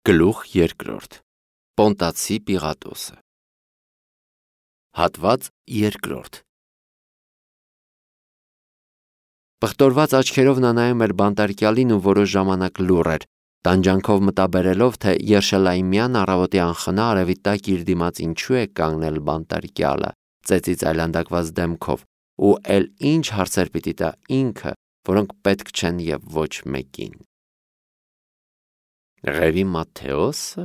Գլուխ երկրորդ Պոնտացի Պիղատոսը Հատված երկրորդ Պղտորված աչքերով նա նայում էր բանտարկյալին ու որոշ ժամանակ լուռ էր, տանջանքով մտաբերելով, թե Երշալայիմյան առավոտի անխնա արևի տակ իր դիմաց ինչու է կանգնել բանտարկյալը, ծեծից այլանդակված դեմքով, ու էլ ինչ հարցեր պիտի տա ինքը, որոնք պետք չեն և ոչ մեկին։ Ղևի Մատթեոսը?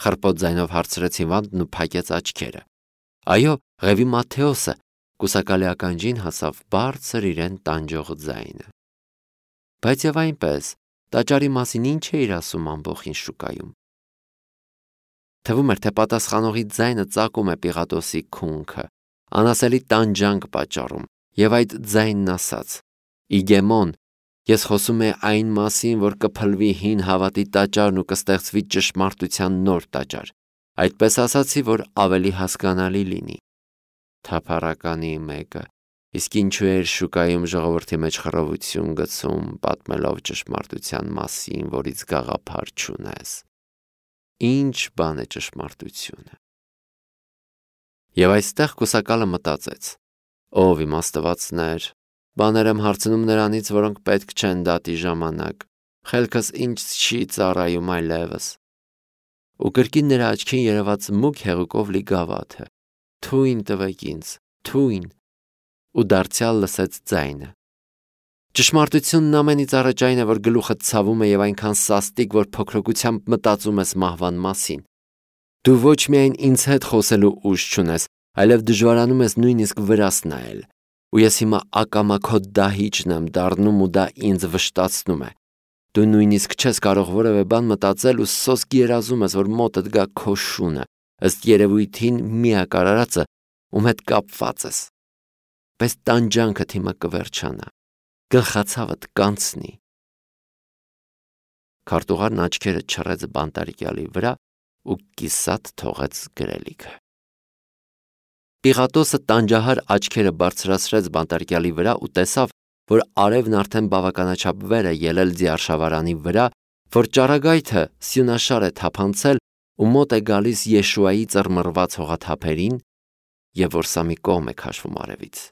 Խռպոտ ձայնով հարցրեց Հիվանդն ու փակեց աչքերը։ Այո, Ղևի Մատթեոսը, կուսակալի ականջին հասավ բարձր իրեն տանջող ձայնը։ Բայց և այնպես, տաճարի մասին ինչ է իր ասում ամբոխին շուկայում։ Թվում էր, թե պատասխանողի ձայնը ծակում է Պիղատոսի քունքը, անասելի տանջանք պատճառում, և այդ ձայնն ասաց. Իգեմոն, ես խոսում եմ այն մասին, որ կփլվի հին հավատի տաճարն ու կստեղծվի ճշմարտության նոր տաճար, այդպես ասացի, որ ավելի հասկանալի լինի։ Թափառականի մեկը, իսկ ինչու էր շուկայում ժողովրդի մեջ խռովություն գցում, պատմելով ճշմարտության մասին, որից գաղափար չունես։ Ինչ բան է ճշմարտությունը։ Եվ այստեղ կուսակալը մտածեց. ով իմաստվածներ, բաներ եմ հարցնում նրանից, որոնք պետք չեն դատի ժամանակ, խելքս ինձ չի ծառայում այլևս։ Ու կրկին նրա աչքին երևաց մուգ հեղուկով լի գավաթը. Թույն տվեք ինձ, թույն, ու դարձյալ լսեց ձայնը։ Ճշմարտությունն ամենից առաջ այն է, որ գլուխդ ցավում է և այնքան սաստիկ, որ փոքրοκությամբ մտածում ես մահվան մասին։ Դու ոչ միայն ինձ հետ խոսելու ուժ չունես, այլև դժվարանում ես նույնիսկ վրաս նայել, ու ես հիմա ակամա քո դահիճն եմ դառնում ու դա ինձ վշտացնում է։ Դու նույնիսկ չես կարող որևէ բան մտածել ու սոսկ երազում ես, որ մոտդ գա քո շունը, ըստ երևույթին միակ արարածը, ում հետ կապված ես։ Բայց տանջանքդ հիմա կվերջանա, գլխացավդ կանցնի։ Քարտուղարն աչքերը չռեց բանտարկյալի վրա ու կիսատ թողեց գրելիքը։ Պիղատոսը տանջահար աչքերը բարձրացրեց բանտարկյալի վրա ու տեսավ, որ արևն արդեն բավականաչափ վեր է ելել ձիարշավարանի վրա, որ ճառագայթը սյունաշար է թափանցել ու մոտ է գալիս Եշուայի ծռմռված հողաթափերին, և որ սա մի կողմ է քաշվում արևից։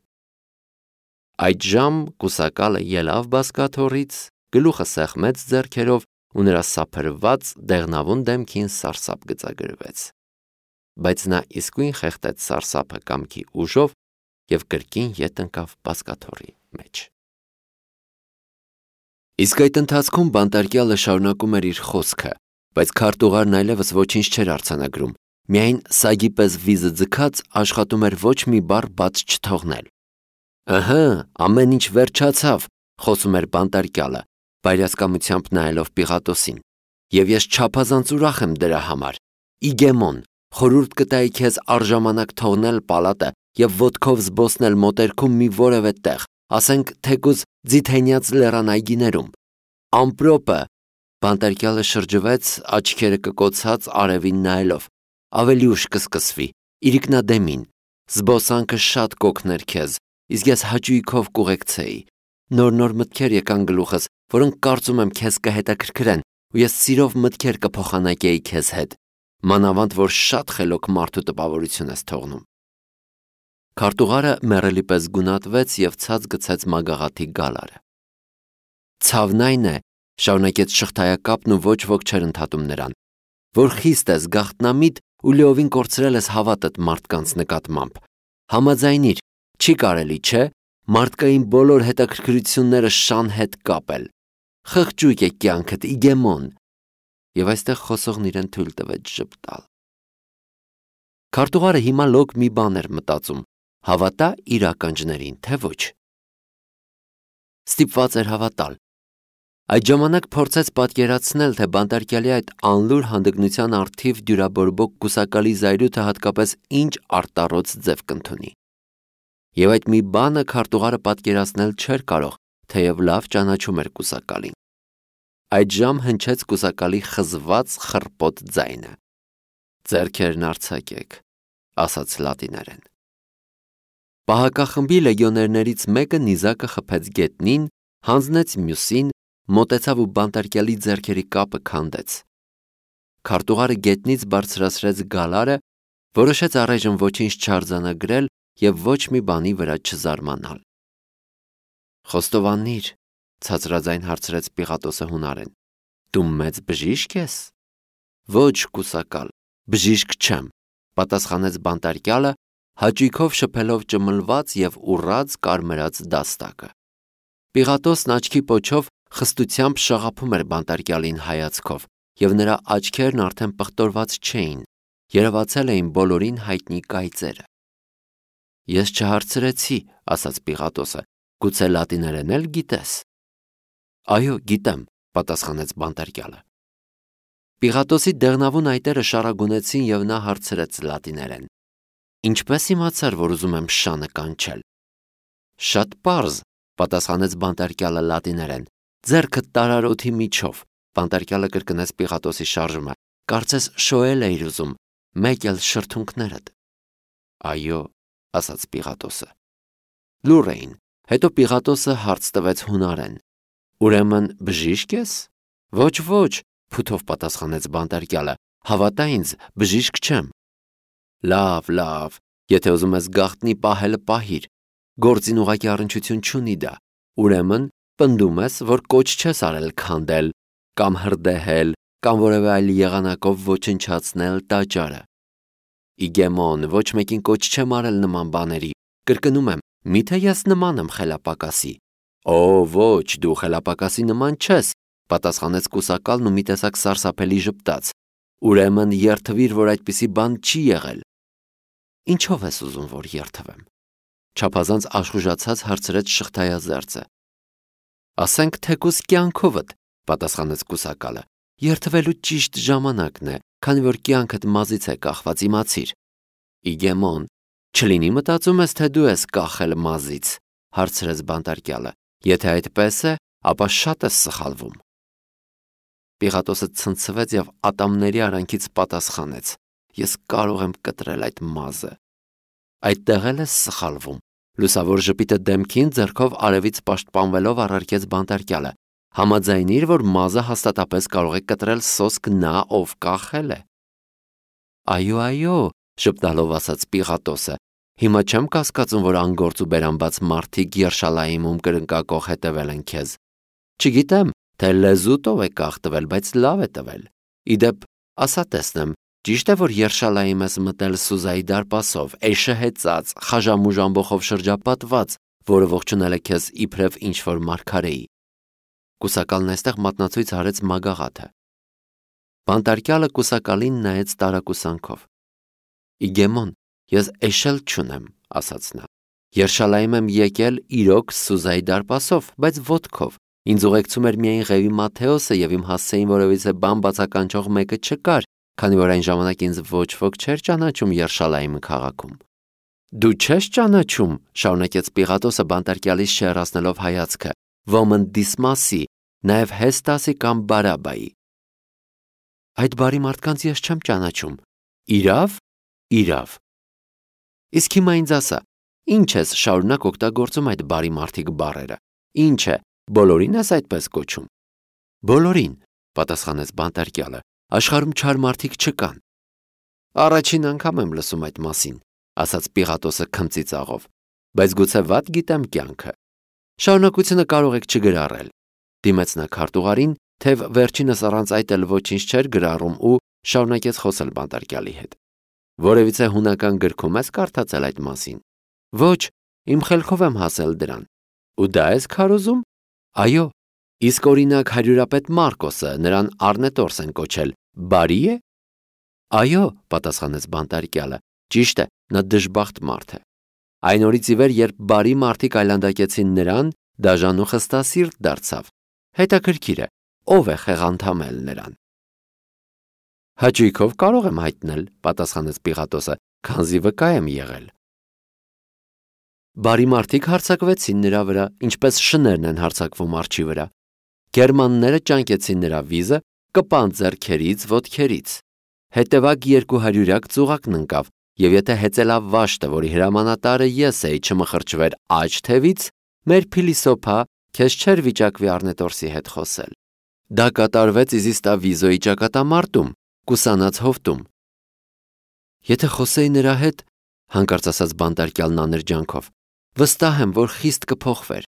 Այդժամ կուսակալը ելավ բազկաթոռից, գլուխը սեղմեց ձեռքերով ու նրա սափրված դեղնավուն դեմքին սարսափ գծագրվեց։ Բայց նա իսկույն խեղդեց սարսափը կամքի ուժով և կրկին ետ ընկավ բազկաթոռի մեջ։ Իսկ այդ ընթացքում բանտարկյալը շարունակում էր իր խոսքը, բայց քարտուղարն այլևս ոչինչ չէր արձանագրում, միայն սագի պես վիզը ձգած աշխատում էր ոչ մի բառ բաց չթողնել։ Ըհը, ամեն ինչ վերջացավ, խոսում էր բանտարկյալը, բայրասկամությամբ նայելով Պիղատոսին, և ես չափազանց ուրախ եմ դրա համար։ Իգեմոն, խորհուրդ կտայի քեզ առժամանակ թողնել պալատը և ոտքով զբոսնել մոտերքում մի որևէ տեղ, ասենք թեկուզ Ձիթենյաց լեռան այգիներում։ Ամպրոպը, բանտարկյալը շրջվեց, աչքերը կկոցած արևին նայելով, ավելի ուշ կսկսվի, իրիկնադեմին, զբոսանքը շատ կօգներ քեզ, իսկ ես հաճույքով կուղեկցեի։ Նոր մտքեր եկան գլուխս, որոնք կարծում եմ քեզ կհետաքրքրեն, ու ես սիրով մտքեր կփոխանակեի քեզ հետ, մանավանդ որ շատ խելոք մարդու տպավորություն ես թողնում։ Քարտուղարը մեռելի պես գունատվեց և ցած գցեց մագաղաթի գալարը։ Ցավն այն է, շարունակեց շղթայակապն ու ոչ ոք չէր ընդհատում նրան, որ խիստ ես գաղտնամիտ ու լիովին կորցրել ես հավատդ մարդկանց նկատմամբ։ Համաձայնիր, չի կարելի, չէ՞, մարդկային բոլոր հետաքրքրությունները շան հետ կապել։ Խղճուկ է կյանքդ, իգեմոն։ Եվ այստեղ խոսողն իրեն թույլ տվեց ժպտալ։ Քարտուղարը հիմա լոկ մի բան էր մտածում, հավատա իր ականջներին, թե ոչ։ Ստիպված էր հավատալ։ Այդ ժամանակ փորձեց պատկերացնել, թե բանտարկյալի այդ անլուր հանդգնության առթիվ դյուրաբորբոք կուսակալի զայրույթը հատկապես ինչ արտառոց ձև կընդունի։ Եվ այդ մի բանը քարտուղարը պատկերացնել չէր կարող, թեև լավ ճանաչում էր կուսակալին։ Այդժամ հնչեց կուսակալի խզված խռպոտ ձայնը։ Ձեռքերն արձակեք, ասաց լատիներեն։ Պահակախմբի լեգիոներներից մեկը նիզակը խփեց գետնին, հանձնեց մյուսին, մոտեցավ ու բանտարկյալի ձեռքերի կապը քանդեց։ քարտուղարը գետնից բարձրացրեց գալարը, որոշեց առայժմ ոչինչ չարձանագրել և ոչ մի բանի վրա չզարմանալ։ «Խոստովանիր», ցածրաձայն հարցրեց Պիղատոսը հունարեն, «դու մեծ բժիշկ ես»։ «Ոչ, կուսակալ, բժիշկ չեմ», պատասխանեց բանտարկյալը, հաճույքով շփելով ճմլված և ուռած կարմրած դաստակը։ Պիղատոսն աչքի պոչով խստությամբ շաղափում էր բանտարկյալին հայացքով, և նրա աչքերն արդեն պղտորված չէին, երևացել էին բոլորին հայտնի կայծերը։ «Ես չհարցրեցի», ասաց Պիղատոսը, «գուցե լատիներեն էլ գիտես»։ «Այո, գիտեմ», պատասխանեց բանտարկյալը։ Պիղատոսի դեղնավուն այտերը շառագունեցին և նա հարցրեց լատիներեն. «Ինչպես իմացար, որ ուզում եմ շանը կանչել»։ «Շատ պարզ», պատասխանեց բանտարկյալը լատիներեն, «ձեռքդ տարար օդի միջով»։ Բանտարկյալը կրկնեց Պիղատոսի շարժումը, կարծես շոյել էիր ուզում, մեկ էլ շրթունքներդ։ «Այո», ասաց Պիղատոսը։ Լուռ էին, հետո Պիղատոսը հարց տվեց հունարեն. «Ուրեմն բժիշկ ես»։ «Ոչ», փութով պատասխանեց բանտարկյալը, «հավատա ինձ, բժիշկ չեմ»։ Լավ, եթե ուզում ես գաղտնի պահելը պահիր, գործին ուղղակի առնչություն չունի դա, ուրեմն պնդում ես, որ կոչ չես արել քանդել, կամ հրդեհել, կամ որևէ այլ եղանակով ոչնչացնել տաճարը։ Իգեմոն, ոչ մեկին կոչ չեմ արել նման բաների, կրկնում եմ, միթե ես նման եմ խելապակասի։ «Օ, ոչ, դու խելապակասի նման չես», պատասխանեց կուսակալն ու մի տեսակ սարսափելի ժպտաց։ «Ուրեմն երդվիր, որ այդպիսի բան չի եղել»։ «Ինչով ես ուզում, որ երդվեմ»։ Չափազանց աշխուժացած հարցրեց շղթայազերծը։ «Ասենք թեկուզ կյանքովդ», պատասխանեց կուսակալը, «երդվելու ճիշտ ժամանակն է, քանի որ կյանքդ մազից է կախված, իմացիր»։ «Իգեմոն, չլինի մտածում ես, թե դու ես կախել մազից», հարցրեց բանտարկյալը, «եթե այդպես է, ապա շատ ես սխալվում»։ Պիղատոսը ցնցվեց և ատամների արանքից պատասխանեց. «Ես կարող եմ կտրել այդ մազը»։ «Այդտեղ էլ ես սխալվում», լուսավոր ժպիտը դեմքին ձեռքով արևից պաշտպանվելով առարկեց բանտարկյալը, «համաձայնիր, որ մազը հաստատապես կարող է կտրել սոսկ նա, ով կախել է»։ «Այո», ժպտալով ասաց Պիղատոսը, «հիմա չեմ կասկածում, որ անգործ ու բերանբաց մարդիկ Երշալայիմում կրնկակոխ հետևել են քեզ։ Չգիտեմ, թե լեզուտ ով է կախ տվել, բայց լավ է տվել։ Իդեպ, ասա տեսնեմ, ճիշտ է, որ Երշալայիմ ես մտել Սուզայի դարպասով, էշը հեծած, խաժամուժ ամբոխով շրջապատված, որը ողջունել է քեզ իբրև ինչ-որ մարգարեի»։ Կուսակալն այստեղ մատնացույց արեց մագաղաթը։ Բանտարկյալը կուսակալին նայեց տարակուսանքով։ «Իգեմոն, ես էշել չունեմ», ասաց նա։ «Երշալայիմ եմ եկել իրոք Սուզայի դարպասով, բայց ոտքով։ Ինձ ուղեկցում էր միայն Ղևի Մատթեոսը և իմ հասցեին որևիցե բան բացականչող մեկը չկար, քանի որ այն ժամանակ ինձ ոչ ոք չէր ճանաչում Երշալայիմ քաղաքում»։ «Դու չես ճանաչում», շարունակեց Պիղատոսը բանտարկյալից շեռացնելով հայացքը, «ոմն Դիսմասի, նաև Հեստասի կամ Բարաբայի»։ «Այդ բարի մարդկանց ես չեմ ճանաչում»։ «Իրավ»։ «Իսկ հիմա ինձ ասա, ինչ ես շարունակ օգտագործում այդ բարի մարդիկ բառերը, ինչ է, բոլորին ես այդպես կոչում»։ «Բոլորին», պատասխանեց բանտարկյալը, «աշխարհում չար մարդիկ չկան»։ «Առաջին անգամ եմ լսում այդ մասին», ասաց Պիղատոսը քմծիծաղով, «բայց գուցե վատ գիտեմ կյանքը։ Շարունակությունը կարող եք չգրառել»։ Դիմեց նա քարտուղարին, թեև վերջինս առանց այդ էլ ոչինչ չէր գրառում ու շարունակեց խոսել բանտարկյալի հետ։ «Որևիցե հունական գրքում ես կարդացել այդ մասին»։ «Ոչ, իմ խելքով եմ հասել դրան»։ «Ու դա ես քարոզում»։ «Այո, իսկ օրինակ հարյուրապետ Մարկոսը, նրան Առնետորս են կոչել, բարի է»։ «Այո», պատասխանեց բանտարկյալը, «ճիշտ է, նա դժբախտ մարդ է»։ Այն օրից ի վեր, երբ բարի մարդիկ այլանդակեցին նրան, դաժան ու խստասիրտ դարձավ։ Հետաքրքիր է, ով է խեղանդամել նրան։ «Հաճույքով կարող եմ հայտնել», պատասխանեց Պիղատոսը, «քանզի վկա եմ եղել»։ Բարի մարդիկ հարձակվեցին նրա վրա, ինչպես շներն են հարձակվում արջի վրա։ Գերմանները ճանկեցին նրա վիզը, կպան ձեռքերից, ոտքերից։ Հետևակ 200 ծուղակն ընկավ, և եթե հեծելավաշտը, որի հրամանատարը ես էի, չմխրճվեր աջ թևից, մեր փիլիսոփա քեզ չէր վիճակվի Առնետորսի հետ խոսել։ Դա կատարվեց Իզիստավիզոյի ճակատամարտում, կուսանած հովտում։ Եթե խոսեի նրա հետ, հանկարծ ասաց բանտարկյալն աներջանքով, վստահ եմ, որ խիստ կփոխվեր։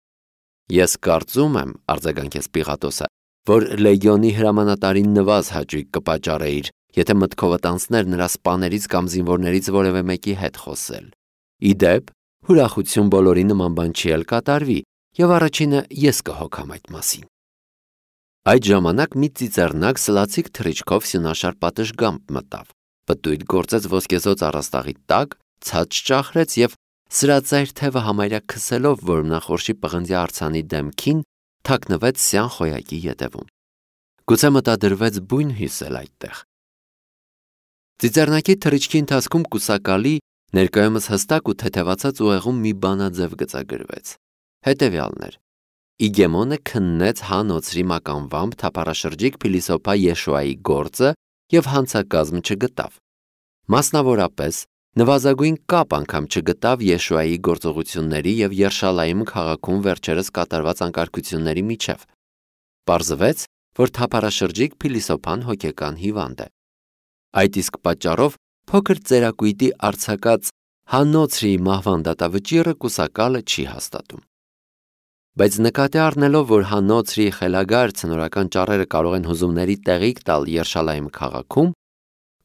Ես կարծում եմ, արձագանքեց Պիղատոսը, որ լեգիոնի հրամանատարին նվազ հաճույք կպատճառեիր, եթե մտքովդ անցներ նրա սպաներից կամ զինվորներից որևէ մեկի հետ խոսել։ Ի դեպ, ուրախություն բոլորի նման բան չի էլ կատարվի, եւ առաջինը ես կհոգամ այդ մասին։ Այդ ժամանակ մի ծիծեռնակ սլացիկ թռիչքով սյունաշար պատշգամբ մտավ, պտույտ գործեց ոսկեզոծ առաստաղի տակ, ցած ճախրեց եւ սրածայր թևը համարյա քսելով որմնախորշի պղնձյա արձանի դեմքին, թաքնվեց սյան խոյակի ետևում։ Գուցե մտադրվեց բույն հյուսել այդտեղ։ Ծիծեռնակի թռիչքի ընթացքում կուսակալի ներկայումս հստակ ու թեթևացած ուղեղում մի բանաձև գծագրվեց։ Հետևյալն էր. Իգեմոնը քննեց հանոցրի մականվամբ թափառաշրջիկ փիլիսոփա Եշուայի գործը եւ հանցակազմ չգտավ։ Մասնավորապես, նվազագույն կապ անգամ չգտավ Եշուայի գործողությունների եւ Երշալայիմ քաղաքում վերջերս կատարված անկարգությունների միջև։ Պարզվեց, որ թափառաշրջիկ փիլիսոփան հոգեկան հիվանդ է։ Այդ իսկ պատճառով փոքր ծերակույտի արձակած հանոցրի մահվան դատավճիռը կուսակալը չի հաստատում։ Բայց նկատի առնելով, որ հանոցրի խելագար ցնորական ճառերը կարող են հուզումների տեղիք տալ Երշալայիմ քաղաքում,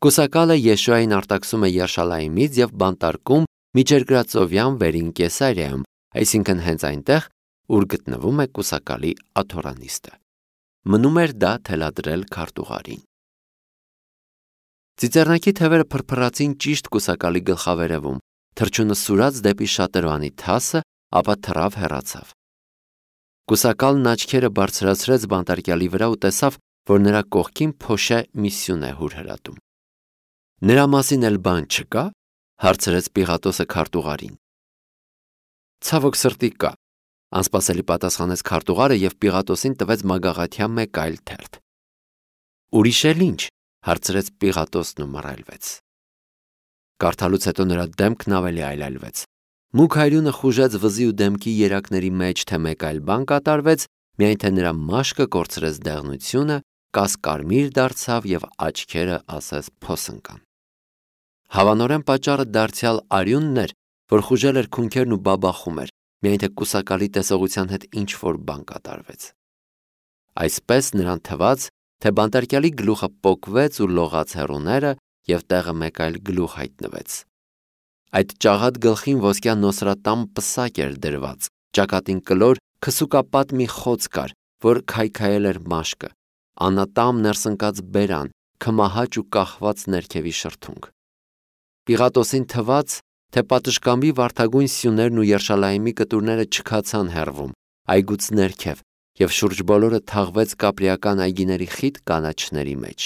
կուսակալը Եշուային արտաքսում է Երշալայիմից եւ բանտարկում միջերկրածովյան վերին Կեսարիայում, այսինքն հենց այնտեղ, ուր գտնվում է կուսակալի աթորանիստը։ Մնում էր դա թելադրել քարտուղարին։ Ծիծեռնակի թևերը փրփրացին ճիշտ կուսակալի գլխավերևում, թռչունը սուրաց դեպի շատրվանի թասը, ապա թռավ հեռացավ։ Կուսակալն աչքերը բարձրացրեց բանտարկյալի վրա ու տեսավ, որ նրա կողքին փոշե մի սյուն է հուրհրատում։ Նրա մասին էլ բան չկա, հարցրեց Պիղատոսը քարտուղարին։ Ցավոք սրտի կա, անսպասելի պատասխանեց քարտուղարը եւ Պիղատոսին տվեց մագաղաթյա մեկ այլ թերթ։ Ուրիշ էլ ինչ, հարցրեց Պիղատոսն ու մռայլվեց։ Կարդալուց հետո նրա դեմքն ավելի այլայլվեց։ Մուգ հայրյունը խուժեց վզի ու դեմքի երակների մեջ, թե մեկ այլ բան կատարվեց, միայն թե նրա մաշկը կորցրեց դեղնությունը, կասկարմիր դարձավ եւ աչքերը ասես փոս ընկան։ Հավանորեն պատճառը դարձյալ արյունն էր, որ խուժել էր քունքերն ու բաբախում էր, միայն թե կուսակալի տեսողության հետ ինչ-որ բան կատարվեց։ Այսպես նրան թվաց, թե բանտարկյալի գլուխը պոկվեց ու լողաց հեռուները եւ տեղը մեկ այլ գլուխ հայտնվեց։ Այդ ճաղատ գլխին ոսկյա նոսրատամ պսակ էր դրված, ճակատին կլոր քսուկապատ մի խոց կար, որ քայքայել էր մաշկը, անատամ ներսընկած բերան, քմահաճ ու կախված ներքևի շրթունք։ Պիղատոսին թվաց, թե պատշգամբի վարդագույն սյուներն ու Երշալայիմի կտուրները չքացան հեռվում, այգուց ներքև, եւ շուրջ բոլորը թաղվեց կապրիական այգիների խիտ կանաչների մեջ։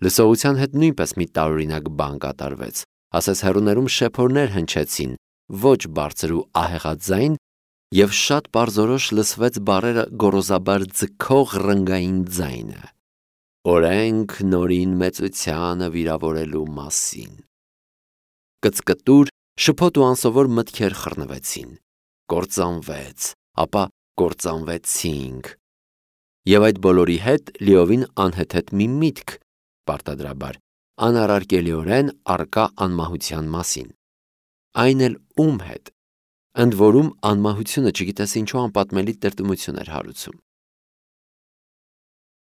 Լսողության հետ նույնպես մի տարօրինակ բան կատարվեց, ասես հեռուներում շեփորներ հնչեցին, ոչ բարձր ու ահեղաձայն, եւ շատ պարզորոշ լսվեց բառերը գոռոզաբար ձգող ռնգային ձայնը. օրենք նորին մեծությանը վիրավորելու մասին։ Կծկտուր, շփոթ ու անսովոր մտքեր խռնվեցին, կործանվեց, ապա կործանվեցինք։ Եվ այդ բոլորի հետ լիովին անհեթեթ մի միտք, պարտադրաբար, անառարկելիորեն արկա անմահության մասին։ Այն էլ ում հետ, ընդ որում անմահությունը չգիտես ինչու անպատմելի տրտմություն էր հարուցում։